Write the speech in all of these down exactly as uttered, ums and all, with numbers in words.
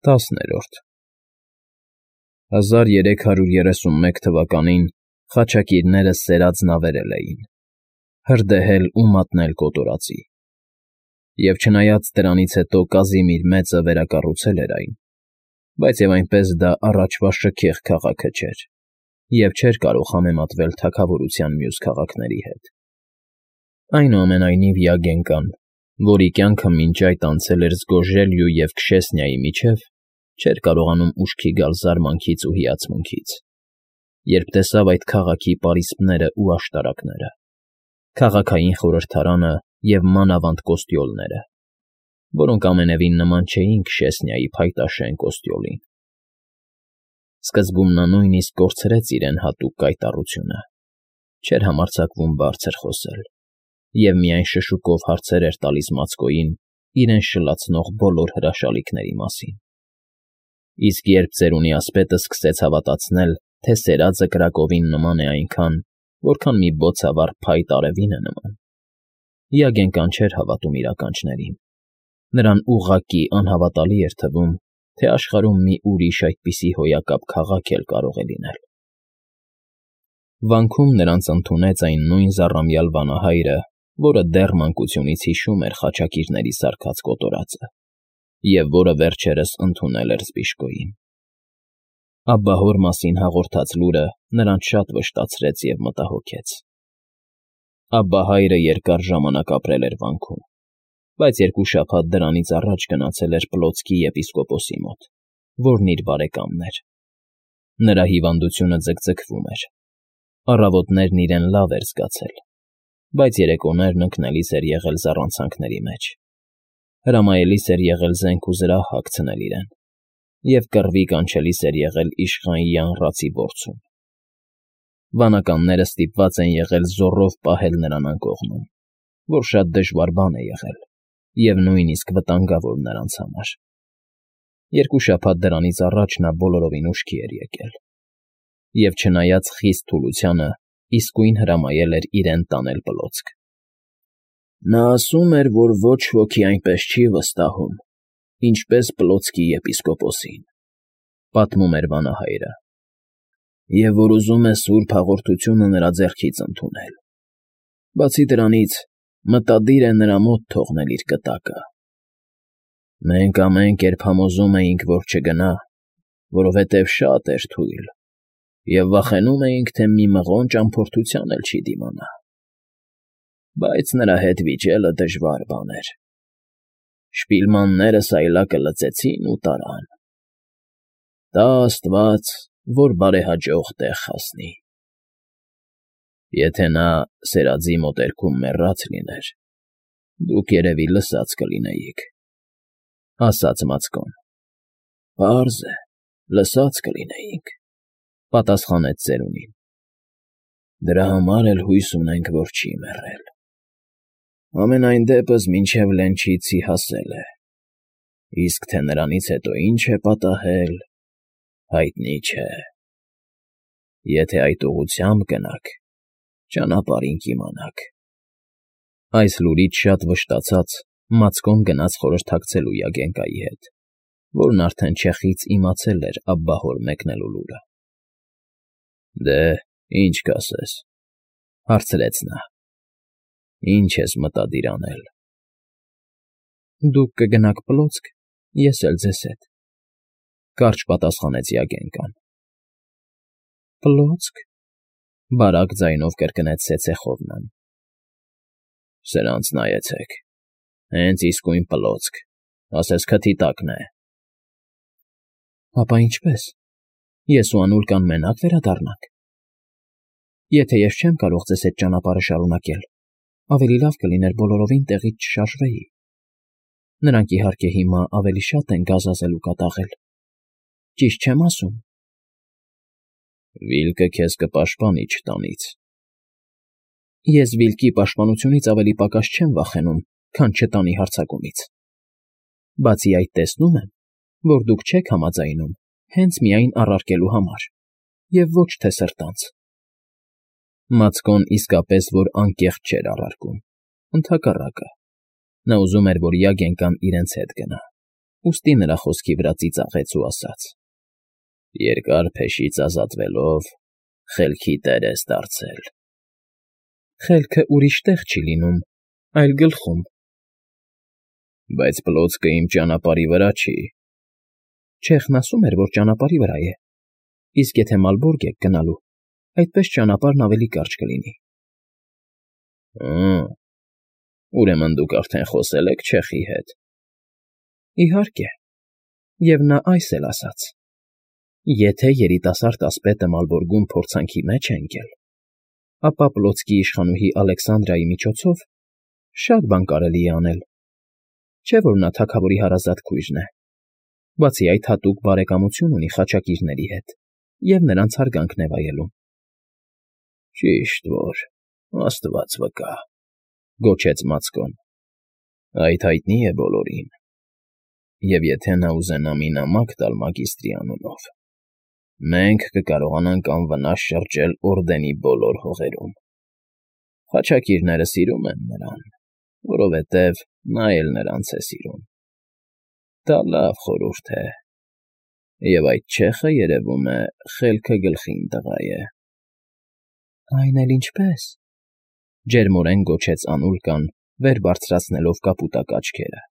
Տասներորդ հազար երեք հարյուր երեսունմեկ թվականին խաչակիրները սերած նավերել էին, հրդեհել ու մատնել կոտորածի, և չնայած դրանից հետո Կազիմիր Մեծը վերակառուցել էր այն, բայց և այնպես դա առաջվա շքեղ քաղաքը չէր և չէր կարող համեմատվել թագավորության մյուս քաղաքների հետ։ Այնուամենայնիվ Յագենկան, որի կյանքը մինչ այդ անցել էր Զգոժելյու և Քշեսնիայի միջև, չէր կարողանում ուշքի գալ զարմանքից ու հիացմունքից, երբ տեսավ այդ քաղաքի պարիսպներն ու աշտարակները, քաղաքային խորհրդարանը և մանավանդ կոստյոլները, որոնք ամենևին նման չէին Քշեսնիայի փայտաշեն կոստյոլին։ Սկզբում նա նույնիսկ կորցրեց իրեն հատուկ կայտառությունը, չէր համարձակվում բարձր խոսել և միայն շշուկով հարցեր էր տալիս Մացկոյին իրեն շլացնող բոլոր հրաշալիքների մասին։ Իսկ երբ ծերունի ասպետը սկսեց հավատացնել, թե սերածը կրակովին նման է այնքան, որքան մի բոցավառ փայտ արևին է նման, Յագենկան չէր հավատում իր ականջներին. նրան ուղղակի անհավատալի էր թվում, թե աշխարհում մի ուրիշ այդպիսի հոյակապ քաղաք էլ կարող է լինել։ Վանքում նրանց ընդունեց այն նույն զառամյալ վանահայրը, որը դեռ մանկությունից հիշում էր խաչակիրների սարքած կոտորածը և որը վերջերս ընդունել էր Զբիշկոյին։ Աբբահոր մասին հաղորդած լուրը նրան շատ վշտացրեց և մտահոգեց։ Աբբահայրը երկար ժամանակ ապրել էր վանքում, բայց երկու շաբաթ դրանից առաջ գնացել էր Պլոցկի եպիսկոպոսի մոտ, որն իր բարեկամն էր։ Նրա հիվանդությունը ձգձգվում էր, առավոտներն իրեն լավ էր զգացել, բայց երեկոներն ընկնելիս էր եղել զառանցանքների մեջ, հրամայելիս էր եղել զենք ու զրահ հագցնել իրեն և կռվի կանչելիս էր եղել իշխան Յանռացի որցում։ Վանականները ստիպված են եղել զոռով պահել նրան անկողնում, որ շատ դժվար բան է եղել և նույնիսկ վտանգավոր նրանց համար։ Երկու շաբաթ դրանից առաջ նա բոլորովին ուշքի էր եկել և, չնայած խիստ թուլությանը, իսկույն հրամայել էր իրեն տանել Պլոցք։ Նա ասում էր, որ ոչ ոքի այնպես չի վստահում, ինչպես Պլոցկի եպիսկոպոսին, պատմում էր վանահայրը, և որ ուզում է սուրբ հաղորդությունը նրա ձեռքից ընդունել։ Բացի դրանից, մտադիր է նրա մոտ թողնել իր կտակը։ Մենք ամեն կերպ համոզում էինք, որ չգնա, որովհետև շատ էր թույլ, և վախենում էինք, թե մի մղոն ճամփորդության էլ չի դիմանա։ Բայց նրա հետ վիճելը դժվար բան էր։ Շպիլմանները սայլակը լծեցին ու տարան։ Տա աստված, որ բարեհաջող տեղ հասնի։ Եթե նա սերածի մոտերքում մեռած լիներ, դուք երևի լսած կլինեիք, ֊ ասաց Մացկոն։ ֊ Պարզ է, լսած կլինեինք, ֊ պատասխանեց ծերունին։ Դրա համար էլ հույս ունենք, որ չի մեռել։ Համենայն դեպս մինչև Լենչիցի հասել է, իսկ թե նրանից հետո ինչ է պատահել, հայտնի չէ։ Եթե այդ ուղղությամբ գնաք, ճանապարհին կիմանաք։ Այս լուրից շատ վշտացած, Մացկոն գնաց խորհրդակցելու Յագենկայի հետ, որն արդեն չեխից իմացել էր աբբահոր մեկնելու լուրը։ Դե, ի՞նչ կասես, ֊ հարցրեց նա։ Ի՞նչ ես մտադիր անել։ Դուք կգնաք Պլոցք, ես էլ ձեզ հետ, ֊ կարճ պատասխանեց Յագենկան։ Պլոցք, ֊ բարակ ձայնով կրկնեց Սեցեխովնան։ Սրանց նայեցեք, հենց իսկույն Պլոցք, ասես քթի տակն է։ Ապա ինչպե՞ս, ես ու Անուլկան մենա՞կ վերադառնանք։ Եթե ես չեմ կարող ձեզ հետ ճանապարհը շարունակել, ավելի լավ կլիներ բոլորովին տեղից չշարժվեի։ Նրանք, իհարկե, հիմա ավելի շատ են գազազել ու կատաղել։ Ճիշտ չեմ ասում։ Վիլկը քեզ կպաշտպանի չտանից։ Ես Վիլկի պաշտպանությունից ավելի պակաս չեմ վախենում, քան չտանի հարձակումից։ Բացի այդ, տեսնում եմ, որ դուք չեք համաձայնում հենց միայն առարկելու համար, և ոչ թե սրտանց։ Մացկոն իսկապես որ անկեղծ չէր առարկում, ընդհակառակը, նա ուզում էր, որ Յագենկան իրենց հետ գնա, ուստի նրա խոսքի վրա ծիծաղեց ու ասաց. Երկար փեշից ազատվելով խելքի տեր ես դարձել։ Խելքը ուրիշ տեղ չի լինում, այլ գլխում։ Բայց պլոցքը իմ ճանապարհի վրա չի։ Չեխն ասում էր, որ ճանապարհի վրա է, իսկ եթե Մալբորգ եք գնալու, այդպես ճանապարհն ավելի կարճ կլինի։ Հը, ուրեմն դուք արդեն խոսել եք չեխի հետ։ Իհարկե, և նա այս էլ ասաց. Եթե երիտասարդ ասպետը Մալբորգում փորձանքի մեջ է ընկել, ապա պլոցքի իշխանուհի Ալեքսանդրայի միջոցով շատ բան կարելի է անել, չէ՞ որ նա թագավորի հարազատ քույրն է, բացի այդ հատուկ բարեկամություն ունի խաչակիրների հետ և նրանց հարգանքն է վայելում։ Ճիշտ որ, աստված վկա, գոչեց Մացկոն, այդ հայտնի է բոլորին, և եթե նա ուզենա մի նամակ տալ մագիստրի անունով, մենք կկարողանանք անվնաս շրջել Օրդենի բոլոր հողերում։ Խաչակիրները սիրում են նրան, որովհետև նա էլ նրանց է սիրում։ Դա լավ խորհուրդ է, և այդ չեխը, երևում է, խելքը գլխին տղա է։ Այն էլ ինչպես, ջերմորեն գոչեց Անուլկան, վեր բարձրացնելով կապուտակ աչքերը։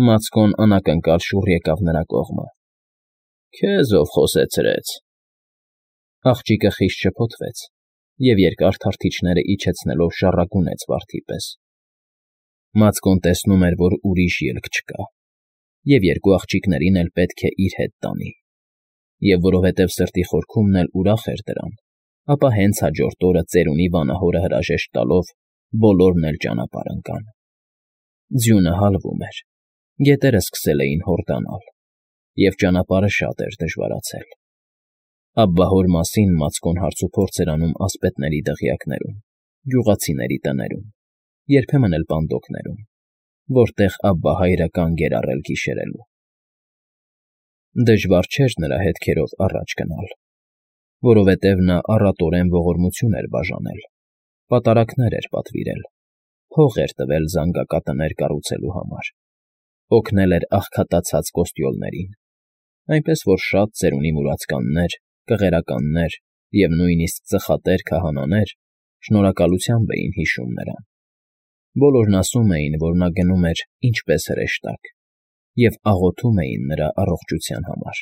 Մացկոն անակնկալ շուռ եկավ նրա կողմը։ Քեզ ով խոսեցրեց։ Աղջիկը խիստ շփոթվեց և երկար թարթիչները իջեցնելով շառագունեց վարդի պես։ Մացկոն տեսնում էր, որ ուրիշ ելք չկա, և երկու աղջիկներին էլ պետք է իր հետ տանի, և որովհետև սրտի խորքումն էլ ուրախ էր դրան, ապա հենց հաջորդ օրը ծերունի վանահորը հրաժեշտ տալով բոլորն էլ ճանապարհ ընկան։ Ձյունը հալվում էր, գետերը սկսել էին հորդանալ, և ճանապարհը շատ էր դժվարացել։ Աբբահոր մասին Մացկոն հարցուփորձ էր անում ասպետների դղյակներում, գյուղացիների տներում, երբեմն էլ պանդոկներում, որտեղ Աբբահայրը կանգ էր առել գիշերելու։ Դժվար չէր նրա հետքերով առաջ գնալ, որովհետև նա առատորեն ողորմություն էր բաժանել, պատարակներ էր պատվիրել, փող էր տվել զանգակատներ կառուցելու համար, օգնել էր աղքատացած կոստյոլներին, այնպես որ շատ ծերունի մուրացկաններ, կղերականներ և նույնիսկ ծխատեր քահանաներ շնորհակալությամբ էին հիշում նրան։ Բոլորն ասում էին, որ նա գնում էր ինչպես հրեշտակ և աղոթում էին նրա առողջության համար,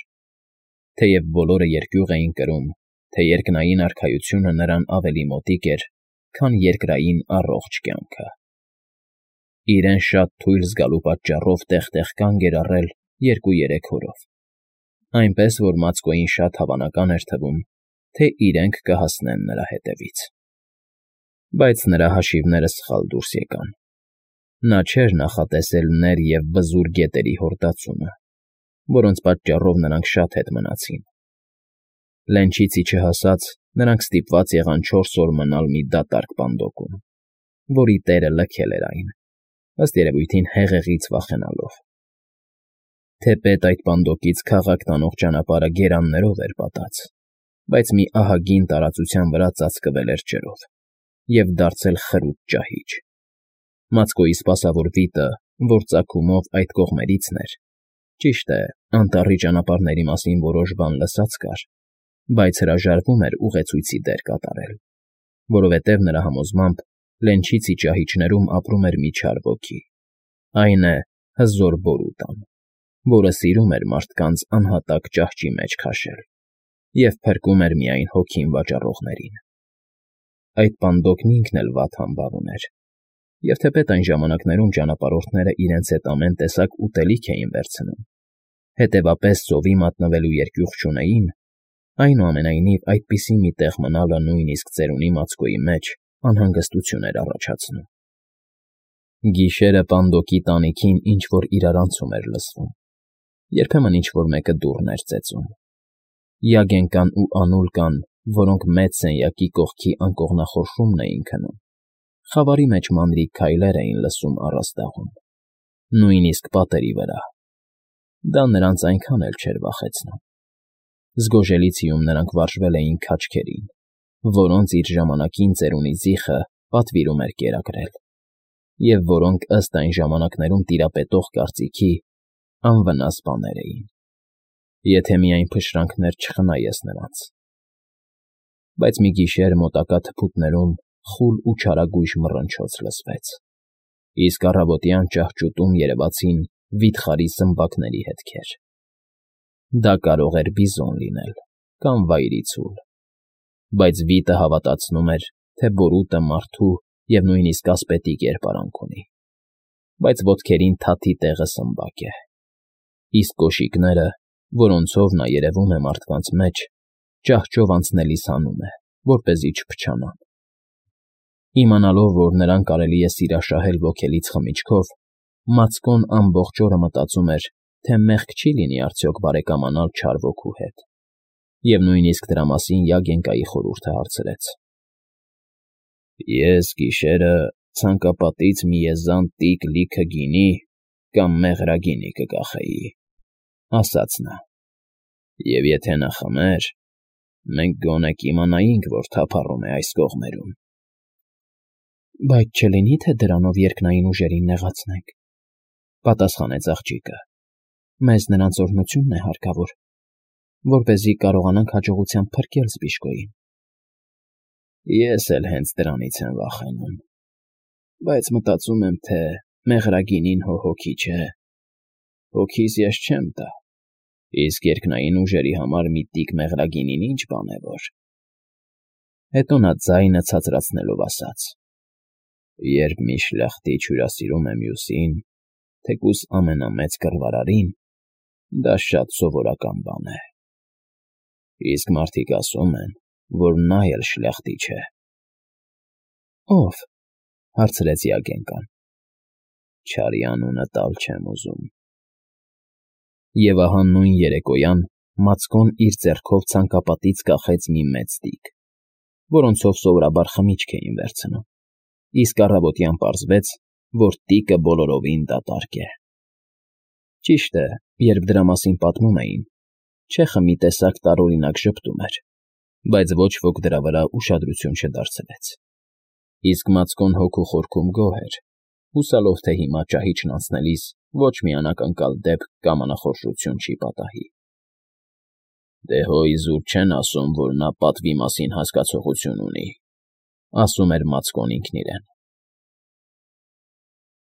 թեև բոլորը երկյուղ էին կրում, թե երկնային արքայությունը նրան ավելի մոտիկ էր, քան երկրային առողջ կյանքը։ Իրեն շատ թույլ զգալու պատճառով տեղ֊տեղ կանգ էր առել երկու֊երեք օրով, այնպես որ Մացկոյին շատ հավանական էր թվում, թե իրենք կհասնեն նրա հետևից։ Բայց նրա հաշիվները սխալ դուրս եկան։ Նա չէր նախատեսել ներ և բզուր գետերի հորդացումը, որոնց պատճառով նրանք շատ հետ մնացին։ Լենչից ի չհասած նրանք ստիպված եղան չորս օր մնալ մի դատարկ պանդոկում, որի տերը լքել էր այն, ըստ երևույթին հեղեղից վախենալով։ Թեպետ այդ պանդոկից քաղաք տանող ճանապարհը գերաններով էր պատած, բայց մի ահագին տարածության վրա ծածկվել էր ջրով և դարձել խրուտ ճահիճ։ Մացկոյի սպասավոր վիտը, որ ծագումով այդ կողմերիցն էր, ճիշտ է, անտառի ճանապարհների մասին որոշ բան լսած կար, բայց հրաժարվում էր ուղեցույցի դեր կատարել, որովհետև նրա համոզմամբ Լենչիցի ճահիճներում ապրում էր մի չար ոգի, այն է հզոր Բորուտան, որը սիրում էր մարդկանց անհատակ ճահճի մեջ քաշել և փրկում էր միայն հոգին վաճառողներին։ Այդ պանդոկն ինքն էլ վատ համբավ ուներ, և թեպետ այն ժամանակներում ճանապարհորդները իրենց հետ ամեն տեսակ ուտելիք էին վերցնում, հետևապես ծովի մատնվելու երկյուղ չունեին, այնուամենայնիվ այդպիսի մի տեղ մնալը նույնիսկ ծերունի Մացկոյի մեջ անհանգստություն էր առաջացնում։ Գիշերը պանդոկի տանիքին ինչ֊որ իրարանցում էր լսվում, երբեմն ինչ֊որ մեկը դուռն էր ծեծում։ Յագենկան ու Անուլկան, որոնք մեծ սենյակի կողքի անկողնախորշումն էին քնում, խավարի մեջ մանրիկ քայլեր էին լսում առաստաղում, նույնիսկ պատերի վրա։ Դա նրանց այնքան էլ չէր վախեցնում։ Զգոժելիցիում նրանք վարժվել էին քաչքերին, որոնց իր ժամանակին ծերունի Զիխը պատվիրում էր կերակրել, և որոնք ըստ այն ժամանակներում տիրապետող կարծիքի անվնաս բաներ էին, եթե միայն փշրանքներ չխնայես նրանց։ Բայց մի գիշեր մոտակա թփուտներում խուլ ու չարագույժ մռնչոց լսվեց, իսկ առավոտյան ճահճուտում երևացին վիթխարի զմբակների հետքեր։ Դա կարող էր բիզոն լինել կամ վայրի ցուլ, բայց վիտը հավատացնում էր, թե բորուտը մարդու և նույնիսկ ասպետի կերպարանք ունի, բայց ոտքերին թաթի տեղը սմբակ է, իսկ կոշիկները, որոնցով նա երևում է մարդկանց մեջ, ճահճով անցնելիս հանում է, որպեսզի չփչանան։ Իմանալով, որ նրան կարելի է սիրաշահել ոգելից խմիչքով, Մացկոն ամբողջ օրը մտածում էր, թե մեղք չի լինի արդյոք բարեկամանալ չար ոգու հետ, և նույնիսկ դրա մասին Յագենկայի խորհուրդը հարցրեց։ «Ես գիշերը ցանկապատից մի եզան տիկ լիքը գինի կամ մեղրագինի կկախեի,֊ ասաց նա,֊ և եթե նա խմեր, մենք գոնե կիմանայինք, որ թափառում է այս կողմերում»։ ֊ Բայց չլինի՞ թե դրանով երկնային ուժերին նեղացնենք,֊ պատասխանեց աղջիկը,֊ մեզ նրանց օրհնությունն է հարկավոր, որպեսզի կարողանանք հաջողությամբ փրկել զբիշկոյին։ ֊ Ես էլ հենց դրանից եմ վախենում, բայց մտածում եմ, թե մեղրագինին հո հոգի չէ, հոգիս ես չեմ տա, իսկ երկնային ուժերի համար մի տիկ մեղրագինին ի՞նչ բան է որ… Հետո նա ձայնը ցածրացնելով ասաց. «Երբ մի շլախտիչ հյուրասիրում է մյուսին, թեկուզ ամենամեծ կռվարարին, դա շատ սովորական բան է, իսկ մարդիկ ասում են, որ նա էլ շլախտիչ է»։ ֊ Ո՞վ,֊ հարցրեց Յագենկան։ ֊ Չարի անունը տալ չեմ ուզում։ Եվ ահա նույն երեկոյան Մացկոն իր ձեռքով ցանկապատից կախեց մի մեծ տիկ, որոնցով սովորաբար խմիչք էին վերցնում, իսկ առավոտյան պարզվեց, որ տիկը բոլորովին դատարկ է։ Ճիշտ է, երբ դրա մասին պատմում էին, չեխը մի տեսակ տարօրինակ ժպտում էր, բայց ոչ ոք դրա վրա ուշադրություն չդարձրեց, իսկ Մացկոն հոգու խորքում գոհ էր, հուսալով, թե հիմա ճահիճն անցնելիս ոչ մի անակնկալ դեպք կամ անախորժություն չի պատահի։ «Դե հո իզուր չեն ասում, որ նա պատվի մասին հասկացողություն ունի,֊ ասում էր Մացկոն ինքն իրեն։